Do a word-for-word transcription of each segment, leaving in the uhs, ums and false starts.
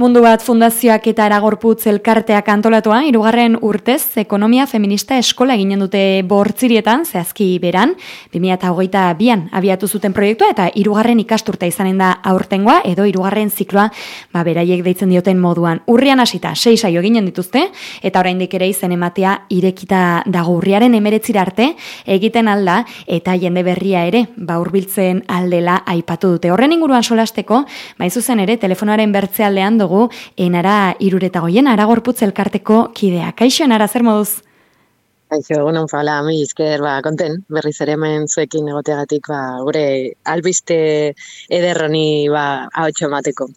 Mundu bat fundazioak eta Aragorputz elkarteak antolatua, hirugarren urtez ekonomia feminista eskola eginen dute Bortzirietan, zehazki beran, bi mila hogeita bian abiatu zuten proiektua eta hirugarren ikasturtea izanen da aurtengoa edo hirugarren zikloa, ba beraiek deitzen dioten moduan. Urrian hasita sei saio eginen dituzte eta oraindik ere izen ematea irekita dago. Urriaren hemeretzira arte egiten alda eta jende berria ere ba hurbiltzen aldela aipatu dute. Horren inguruan solasteko, ba zuzen ere telefonoaren bertzealdean dugu enara iruretagoien Aragorputz elkarteko kidea. Kaixo enara, zer moduz? Kaixo, egunon fala, mi izker, ba, konten, berriz ere hemen zuekin egoteagatik, ba, gure albiste ederroni, ba, ahotxo emateko.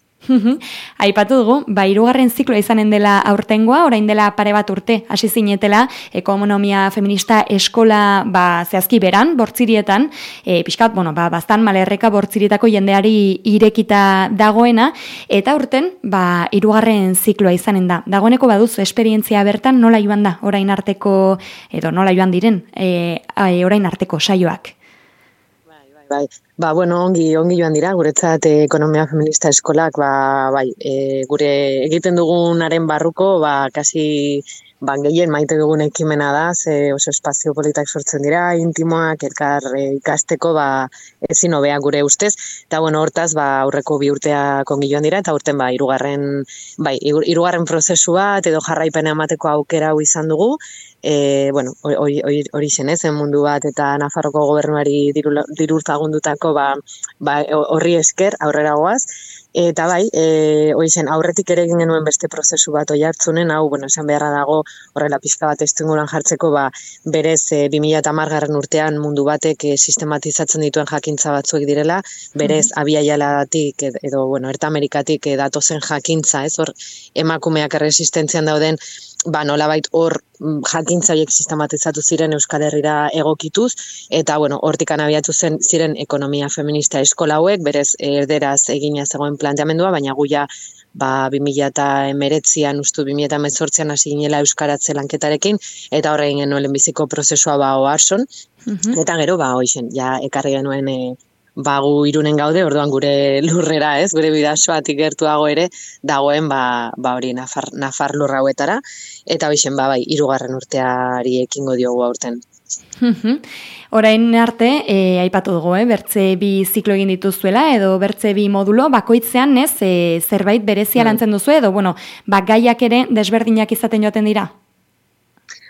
Aipatu dugu, ba, hirugarren zikloa izanen dela aurtengoa, orain dela pare bat urte, hasi zinetela, ekonomia feminista eskola, ba, zehazki beran, Bortzirietan, e, pixkat, bueno, ba, bastan malerreka Bortzirietako jendeari irekita dagoena, eta urten, ba, hirugarren zikloa izanen da. Dagoeneko baduzu esperientzia bertan, nola joan da, orain arteko, edo nola joan diren, e, orain arteko saioak? Bai, ba, bueno, ongi, ongi joan dira, guretzat eh, ekonomia feminista eskolak, ba, bai, e, gure egiten dugunaren barruko, ba, kasi, ba, gehien maite dugun ekimena da, ze oso espazio politak sortzen dira, intimoak, elkar e, ikasteko, ba, ezin hobea gure ustez, eta, bueno, hortaz, ba, aurreko bi urteak ongi joan dira, eta urten, ba, hirugarren, bai, hirugarren prozesu bat, edo jarraipena emateko aukera hau izan dugu, E, bueno, hori hori zen, ez, mundu bat eta Nafarroko gobernuari dirurtagundutako ba, ba, horri esker aurrera goaz. Eta bai, e, hori zen, aurretik ere egin genuen beste prozesu bat oi hartzunen, hau, bueno, esan beharra dago horrela pizka bat estuinguran jartzeko, ba, berez e, bi mila hamargarren urtean mundu batek e, sistematizatzen dituen jakintza batzuek direla, berez mm-hmm. Abiaialatik edo, bueno, Erta Amerikatik e, datozen jakintza, ez, hor emakumeak erresistentzian dauden, ba, nolabait hor jakintza horiek sistematizatu ziren Euskal Herrira egokituz, eta, bueno, hortikan abiatu zen ziren ekonomia feminista eskola hauek, berez erderaz egina zegoen planteamendua, baina guia, ba, bi mila hemeretzian, ustu bi mila hemezortzian hasi ginela euskaratze lanketarekin, eta horrein genuen lehenbiziko prozesua ba oarson, mm-hmm. eta gero, ba, hoixen, ja, ekarri genuen e, ba, gu Irunen gaude, orduan gure lurrera, ez, gure bidasoatik gertuago ere, dagoen, ba, ba hori Nafar, Nafar lurra hauetara, eta hoixen, ba, bai, hirugarren urteari ekingo diogu aurten. Orain arte, e, aipatu dugu, eh, bertze bi ziklo egin dituzuela, edo bertze bi modulo, bakoitzean, ez, e, zerbait berezia lantzen duzu, edo, bueno, ba, gaiak ere desberdinak izaten joaten dira?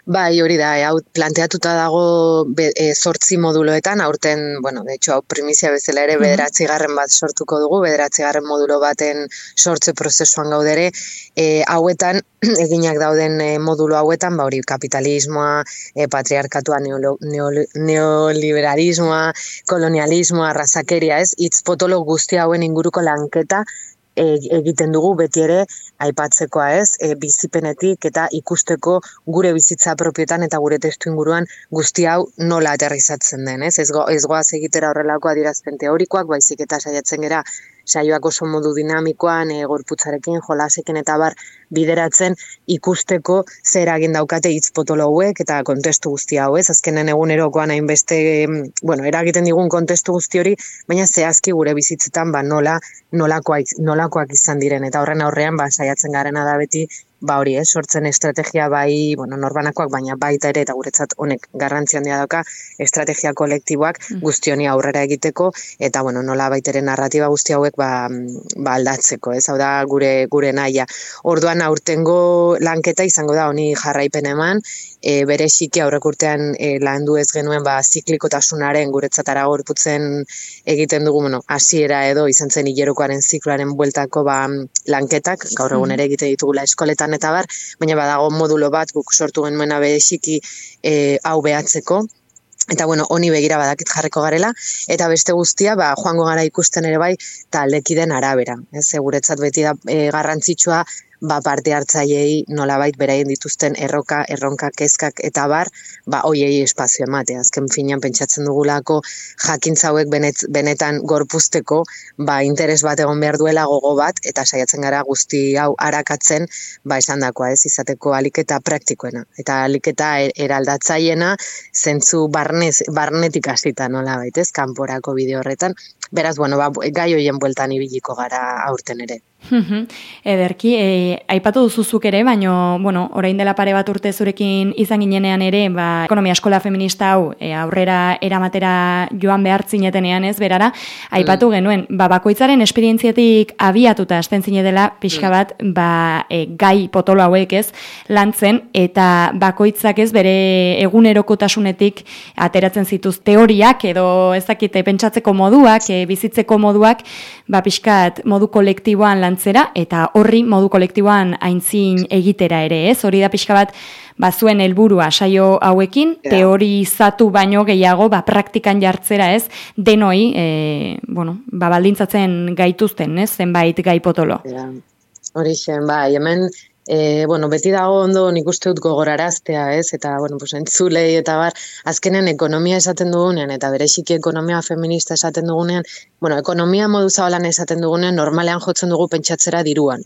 Bai, hori da, hau planteatuta dago be, e, zortzi moduloetan, aurten, bueno, de hecho, hau primizia bezala ere bederatzi garren bat sortuko dugu, bederatzi garren modulo baten sortze prozesuan gaudere, e, hauetan, eginak dauden e, modulo hauetan, ba hori kapitalismoa, e, patriarkatua, neolo, neolo, neoliberalismoa, kolonialismoa, arrazakeria, ez, hitz potolo guzti hauen inguruko lanketa, egiten dugu beti ere aipatzekoa, ez, e, bizipenetik eta ikusteko gure bizitza propietan eta gure testu inguruan guzti hau nola aterrizatzen den, ez, ez, go, ez goaz egitera horrelako adierazpen teorikoak, baizik eta saiatzen gera saioak oso modu dinamikoan, e, gorputzarekin, jolasekin eta bar bideratzen ikusteko zer egin daukate hitz potolo hauek eta kontestu guzti hau, ez, azkenen egunerokoan hainbeste, bueno, eragiten digun kontestu guzti hori, baina zehazki gure bizitzetan ba nola nolakoak, nolakoak izan diren, eta horren aurrean ba saiatzen garena da beti ba hori, eh, sortzen estrategia bai, bueno, norbanakoak, baina baita ere, eta guretzat honek garrantzi handia dauka, estrategia kolektiboak guzti honi aurrera egiteko, eta, bueno, nola baita ere narratiba guzti hauek ba, ba aldatzeko, ez, hau da gure, gure nahia. Orduan aurtengo lanketa izango da honi jarraipen eman, e, bereziki aurrek urtean e, landu ez genuen ba ziklikotasunaren guretzat Aragorputzen egiten dugu, bueno, hasiera edo izan zen hilerokoaren zikloaren bueltako ba lanketak, gaur egun ere egite ditugula eskoletan eta bar, baina badago modulo bat guk sortu genuena bereziki e, hau behatzeko. Eta, bueno, honi begira badakit jarriko garela, eta beste guztia, ba, joango gara ikusten ere bai, taldekiden arabera. Ez, guretzat beti da e, garrantzitsua, ba, parte hartzaileei nolabait beraien dituzten erroka, erronka, kezkak eta bar, ba, hoiei espazio ematea. Azken finean pentsatzen dugulako jakintza hauek benet, benetan gorpuzteko, ba, interes bat egon behar duela gogo bat, eta saiatzen gara guzti hau arakatzen, ba, esandakoa, ez, izateko aliketa praktikoena. Eta aliketa eraldatzaiena, zentzu barnez, barnetik hasita nolabait, ez, kanporako bideo horretan, Beraz, bueno, ba, gai hoien bueltan ibiliko gara aurten ere. Ederki, e, aipatu duzuzuk ere, baino, bueno, orain dela pare bat urte zurekin izan ginenean ere, ba, ekonomia eskola feminista hau e, aurrera eramatera joan behar zinetenean ez, berara, aipatu mm. genuen, ba, bakoitzaren esperientziatik abiatuta hasten zinetela, pixka bat, ba, e, gai potolo hauek ez, lantzen, eta bakoitzak ez, bere egunerokotasunetik ateratzen zituz teoriak, edo ez dakite, pentsatzeko moduak, e, bizitzeko moduak, ba, pixkat, modu kolektiboan lan zera, eta horri modu kolektiboan aintzin egitera ere, ez? Hori da pixka bat, ba, zuen helburua saio hauekin, yeah. teorizatu baino gehiago, ba, praktikan jartzera, ez? Denoi, e, bueno, ba, baldintzatzen gaituzten, ez? Zenbait gai potolo. Yeah. Horixen, bai, hemen, e, bueno, beti dago ondo nik uste dut gogoraraztea, ez? Eta, bueno, pues, entzulei eta bar, azkenen ekonomia esaten dugunean, eta bereziki ekonomia feminista esaten dugunean, bueno, ekonomia modu zabalan esaten dugunean, normalean jotzen dugu pentsatzera diruan.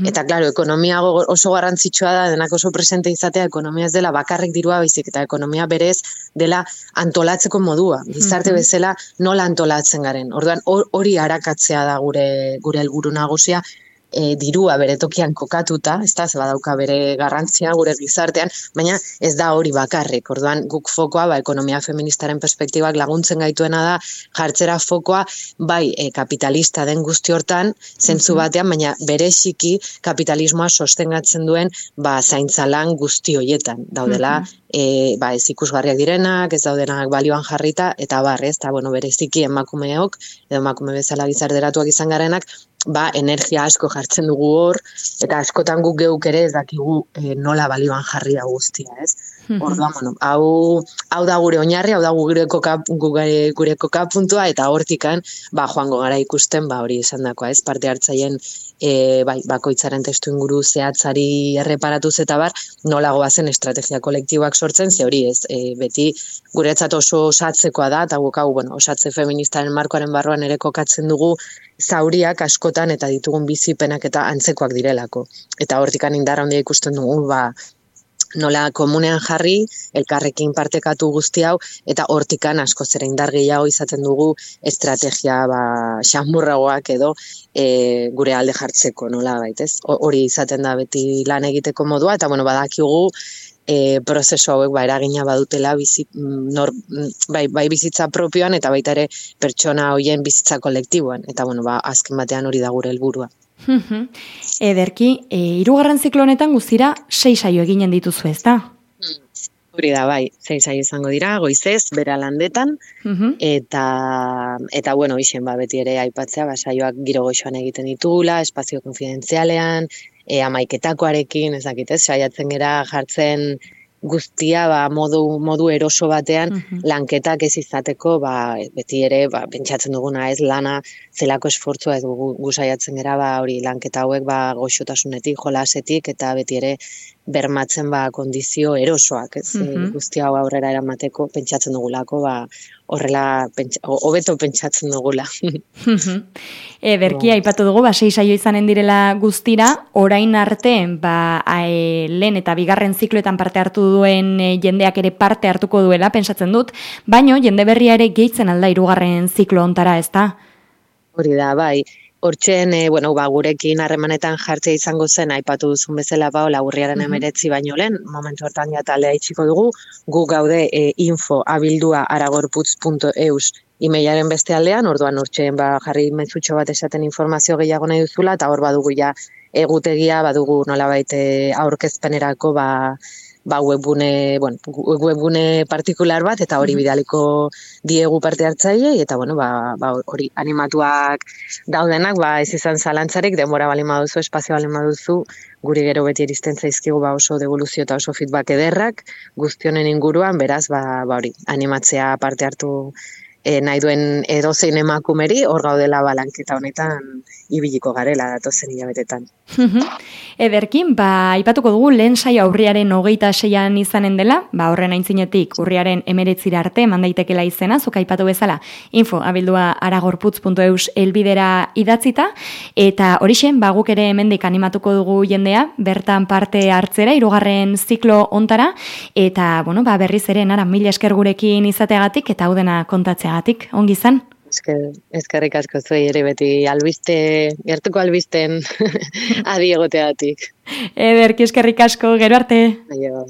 Eta, klaro, ekonomia oso garrantzitsua da, denak oso presente izatea, ekonomia ez dela bakarrik dirua baizik, eta ekonomia berez dela antolatzeko modua. Gizarte bezala nola antolatzen garen. Orduan, hori arakatzea da gure gure helburu nagusia, E, dirua bere tokian kokatuta, ez da, ze badauka bere garrantzia gure gizartean, baina ez da hori bakarrik. Orduan guk fokoa, ba, ekonomia feministaren perspektibak laguntzen gaituena da, jartzera fokoa, bai, e, kapitalista den guzti hortan, zentzu batean, baina bereziki kapitalismoa sostengatzen duen, ba, zaintzalan guzti hoietan. Daudela, e, ba, ez ikusgarriak direnak, ez daudenak balioan jarrita, eta bar, ez, eta, bueno, bereziki emakumeok, edo emakume bezala gizarteratuak izan garenak, ba, energia asko jartzen dugu hor, eta askotan guk geuk ere ez dakigu e, nola balioan jarri da guztia, ez? Orduan, bueno, hau, hau da gure oinarri, hau da gure koka, gure, gure koka puntua, eta hortikan, ba, joango gara ikusten, ba, hori esan dakoa, ez? Parte hartzaien, e, bai, bakoitzaren testu inguru zehatzari erreparatuz eta bar, nola goazen estrategia kolektiboak sortzen, ze hori ez, e, beti guretzat oso osatzekoa da, eta guk hau, bueno, osatze feministaren markoaren barruan ere kokatzen dugu, zauriak askotan eta ditugun bizipenak eta antzekoak direlako. Eta hortikan indar handia ikusten dugu, ba, nola komunean jarri, elkarrekin partekatu guzti hau, eta hortikan asko zera indar gehiago izaten dugu estrategia, ba, xamurragoak edo e, gure alde jartzeko, nola baitez. Hori izaten da beti lan egiteko modua, eta bueno, badakigu, E, prozesu hauek ba, eragina badutela bizi, nor, bai, bai bizitza propioan eta baita ere pertsona hoien bizitza kolektiboan. Eta bueno, ba, azken batean hori da gure helburua. Ederki, e, hirugarren ziklo honetan guztira sei saio eginen dituzu, ez da? Hori da, bai, sei saio izango dira, goizez, bera landetan, eta, eta bueno, isen, ba, beti ere aipatzea, ba, saioak giro goxoan egiten ditugula, espazio konfidentzialean, E, amaiketakoarekin, ez dakit, ez, saiatzen gera jartzen guztia ba, modu, modu eroso batean uh-huh. lanketak ez izateko, ba, beti ere ba, pentsatzen duguna ez lana zelako esfortzua ez gu, gu saiatzen gera ba, hori lanketa hauek ba, goxotasunetik, jolasetik eta beti ere bermatzen ba, kondizio erosoak, ez, uh-huh. guztia hau aurrera eramateko pentsatzen dugulako, ba, horrela, hobeto pentsatzen dugula. Ederki, aipatu dugu, ba, sei saio izanen direla guztira, orain arte, ba, e, lehen eta bigarren zikloetan parte hartu duen e, jendeak ere parte hartuko duela, pensatzen dut, baino jende berria ere gehitzen alda hirugarren ziklo ontara, ez da? Hori da, bai. Hortzen, e, bueno, ba, gurekin harremanetan jartzea izango zen, aipatu duzun bezala, ba, hola, urriaren emeretzi baino lehen, momentu hortan ja taldea itxiko dugu, gu gaude e, info abildua aragorputz punto eus emailaren beste aldean, orduan hortzen ba, jarri mezutxo bat esaten informazio gehiago nahi duzula, eta hor badugu ja egutegia, badugu nolabait aurkezpenerako, ba, ba webgune, bueno, webgune partikular bat, eta hori bidaliko diegu parte hartzailei, eta bueno, ba, ba hori animatuak daudenak, ba ez izan zalantzarik, denbora balin baduzu, espazio balin baduzu, guri gero beti iristen zaizkigu ba oso devoluzio eta oso feedback ederrak, guztionen inguruan, beraz, ba, ba hori, animatzea parte hartu e, nahi duen edozein emakumeri, hor gaudela balanketa honetan ibiliko garela datozen hilabetetan. Ederkin, ba, aipatuko dugu lehen saio urriaren hogeita seian izanen dela, ba, horren aintzinetik urriaren emeretzira arte mandaitekela izena, zuk aipatu bezala, info, abildua aragorputz punto eus elbidera idatzita, eta horixen, ba, guk ere hemendik animatuko dugu jendea, bertan parte hartzera, hirugarren ziklo ontara, eta, bueno, ba, berriz ere, nara, mila esker gurekin izateagatik, eta hau dena kontatzeagatik, ongi izan? Esker, eskerrik asko zuei ere beti albiste, gertuko albisten adi egoteatik. Ederki eskerrik asko, gero arte. Aio.